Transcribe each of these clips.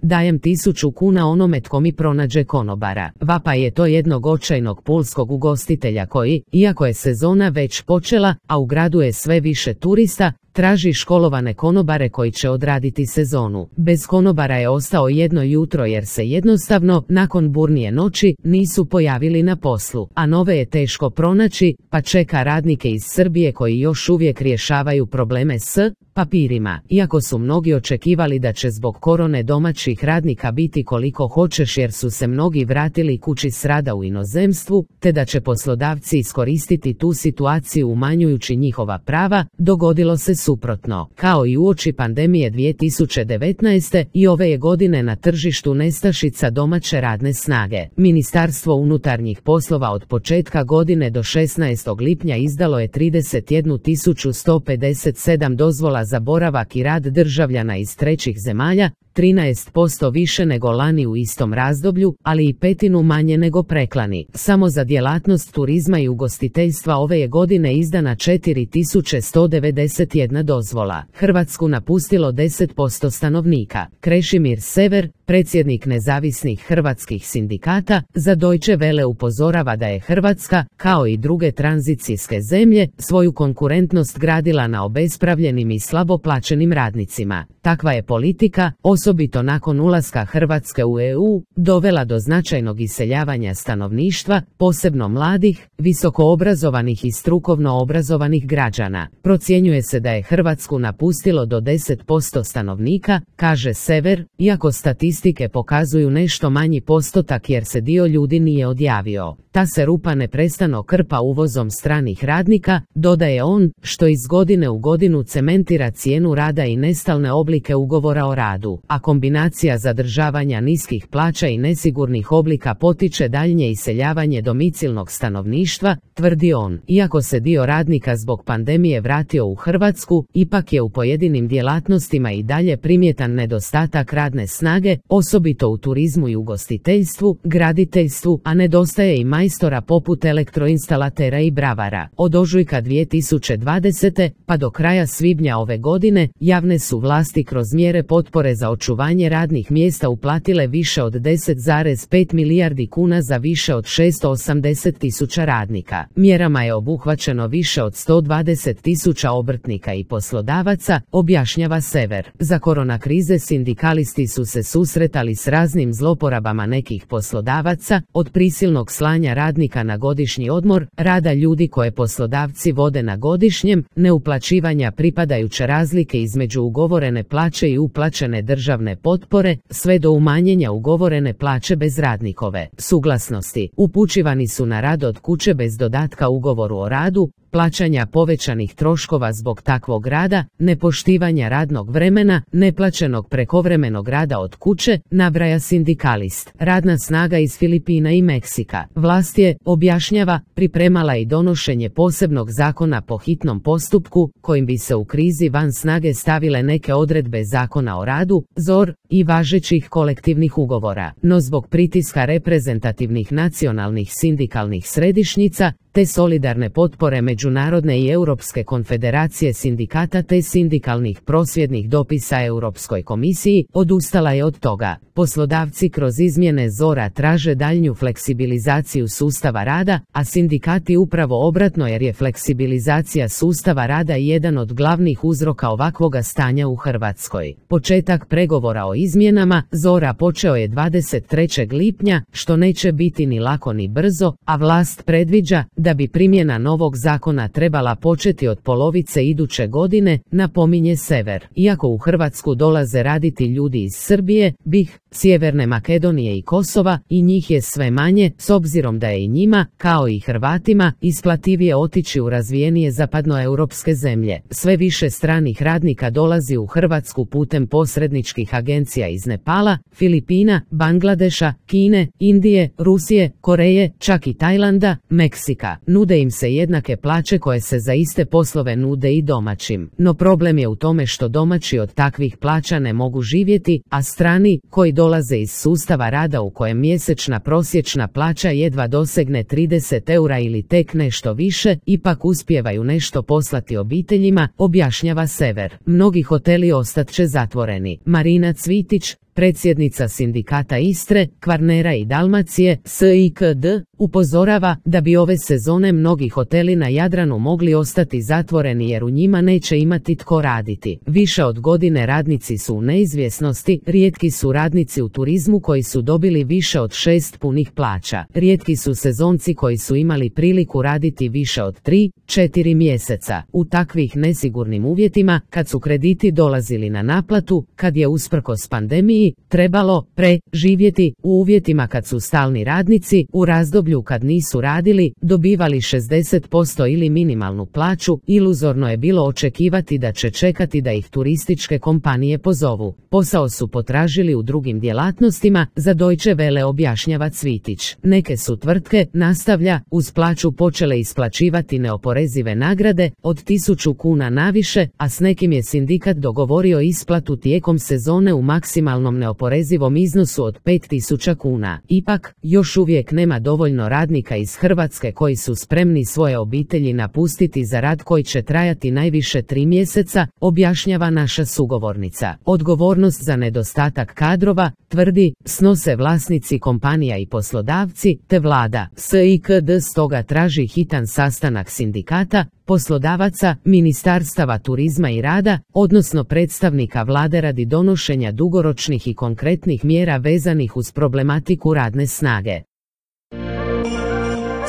dajem 1000 kuna onome tko mi pronađe konobara. Vapa je to jednog očajnog pulskog ugostitelja koji, iako je sezona već počela, a u gradu je sve više turista, traži školovane konobare koji će odraditi sezonu. Bez konobara je ostao jedno jutro jer se jednostavno, nakon burnije noći, nisu pojavili na poslu, a nove je teško pronaći, pa čeka radnike iz Srbije koji još uvijek rješavaju probleme s papirima. Iako su mnogi očekivali da će zbog korone domaćih radnika biti koliko hoćeš jer su se mnogi vratili kući s rada u inozemstvu, te da će poslodavci iskoristiti tu situaciju umanjujući njihova prava, dogodilo se suprotno. Kao i uoči pandemije 2019. i ove je godine na tržištu nestašica domaće radne snage. Ministarstvo unutarnjih poslova od početka godine do 16. lipnja izdalo je 31.157 dozvola za boravak i rad državljana iz trećih zemalja, 13% više nego lani u istom razdoblju, ali i 1/5 manje nego preklani. Samo za djelatnost turizma i ugostiteljstva ove je godine izdana 4191 dozvola. Hrvatsku napustilo 10% stanovnika. Krešimir Sever, predsjednik nezavisnih hrvatskih sindikata, za Deutsche Welle upozorava da je Hrvatska, kao i druge tranzicijske zemlje, svoju konkurentnost gradila na obespravljenim i slabo plaćenim radnicima. Takva je politika, osobito nakon ulaska Hrvatske u EU, dovela do značajnog iseljavanja stanovništva, posebno mladih, visokoobrazovanih i strukovno obrazovanih građana. Procjenjuje se da je Hrvatsku napustilo do 10% stanovnika, kaže Sever, iako statistike pokazuju nešto manji postotak jer se dio ljudi nije odjavio. Ta se rupa neprestano krpa uvozom stranih radnika, dodaje on, što iz godine u godinu cementira cijenu rada i nestalne oblike ugovora o radu, a kombinacija zadržavanja niskih plaća i nesigurnih oblika potiče daljnje iseljavanje domicilnog stanovništva, tvrdi on. Iako se dio radnika zbog pandemije vratio u Hrvatsku, ipak je u pojedinim djelatnostima i dalje primjetan nedostatak radne snage, osobito u turizmu i ugostiteljstvu, graditeljstvu, a nedostaje i majstora poput elektroinstalatera i bravara. Od ožujka 2020. pa do kraja svibnja ove godine, javne su vlasti kroz mjere potpore za očuvanje radnih mjesta uplatile više od 10,5 milijardi kuna za više od 680.000 radnika. Mjerama je obuhvaćeno više od 120.000 obrtnika i poslodavaca, objašnjava Sever. Za korona krize sindikalisti su se susretali s raznim zloporabama nekih poslodavaca, od prisilnog slanja radnika na godišnji odmor, rada ljudi koje poslodavci vode na godišnjem, neuplaćivanja pripadajuće razlike između ugovorene plaće i uplaćene državne potpore, sve do umanjenja ugovorene plaće bez radnikove suglasnosti. Upućivani su na rad od kuće bez dodatka ugovoru o radu, plaćanja povećanih troškova zbog takvog rada, nepoštivanja radnog vremena, neplaćenog prekovremenog rada od kuće, nabraja sindikalist. Radna snaga iz Filipina i Meksika. Vlast je, objašnjava, pripremala i donošenje posebnog zakona po hitnom postupku, kojim bi se u krizi van snage stavile neke odredbe zakona o radu, ZOR, i važećih kolektivnih ugovora. No zbog pritiska reprezentativnih nacionalnih sindikalnih središnjica, te solidarne potpore Međunarodne i Europske konfederacije sindikata te sindikalnih prosvjednih dopisa Europskoj komisiji, odustala je od toga. Poslodavci kroz izmjene ZOR-a traže daljnju fleksibilizaciju sustava rada, a sindikati upravo obratno jer je fleksibilizacija sustava rada jedan od glavnih uzroka ovakvoga stanja u Hrvatskoj. Početak pregovora o izmjenama ZOR-a počeo je 23. lipnja, što neće biti ni lako ni brzo, a vlast predviđa da bi primjena novog zakona trebala početi od polovice iduće godine, napominje Sever. Iako u Hrvatsku dolaze raditi ljudi iz Srbije, BiH, Sjeverne Makedonije i Kosova, i njih je sve manje, s obzirom da je i njima, kao i Hrvatima, isplativije otići u razvijenije zapadnoeuropske zemlje. Sve više stranih radnika dolazi u Hrvatsku putem posredničkih agencija iz Nepala, Filipina, Bangladeša, Kine, Indije, Rusije, Koreje, čak i Tajlanda, Meksika. Nude im se jednake plaće koje se za iste poslove nude i domaćim. No problem je u tome što domaći od takvih plaća ne mogu živjeti, a strani, koji dolaze iz sustava rada u kojem mjesečna prosječna plaća jedva dosegne 30 eura ili tek nešto više, ipak uspijevaju nešto poslati obiteljima, objašnjava Sever. Mnogi hoteli ostat će zatvoreni. Marina Cvitić, predsjednica sindikata Istre, Kvarnera i Dalmacije, SIKD, upozorava da bi ove sezone mnogi hoteli na Jadranu mogli ostati zatvoreni jer u njima neće imati tko raditi. Više od godine radnici su u neizvjesnosti, rijetki su radnici u turizmu koji su dobili više od 6 punih plaća. Rijetki su sezonci koji su imali priliku raditi više od 3-4 mjeseca. U takvih nesigurnim uvjetima, kad su krediti dolazili na naplatu, kad je usprkos pandemiji trebalo preživjeti, u uvjetima kad su stalni radnici, u razdoblju kad nisu radili, dobivali 60% ili minimalnu plaću, iluzorno je bilo očekivati da će čekati da ih turističke kompanije pozovu. Posao su potražili u drugim djelatnostima, za Deutsche Welle objašnjava Cvitić. Neke su tvrtke, nastavlja, uz plaću počele isplaćivati neoporezive nagrade od 1000 kuna naviše, a s nekim je sindikat dogovorio isplatu tijekom sezone u maksimalnom neoporezivom iznosu od 5000 kuna. Ipak, još uvijek nema dovoljno radnika iz Hrvatske koji su spremni svoje obitelji napustiti za rad koji će trajati najviše 3 mjeseca, objašnjava naša sugovornica. Odgovornost za nedostatak kadrova, tvrdi, snose vlasnici kompanija i poslodavci, te vlada. SIKD stoga traži hitan sastanak sindikata, poslodavaca, ministarstava turizma i rada, odnosno predstavnika vlade radi donošenja dugoročnih i konkretnih mjera vezanih uz problematiku radne snage.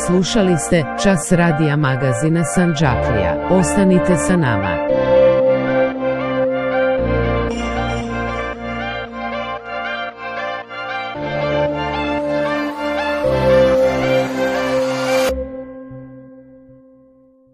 Slušali ste Čas radija magazina Sandžaklija. Ostanite sa nama.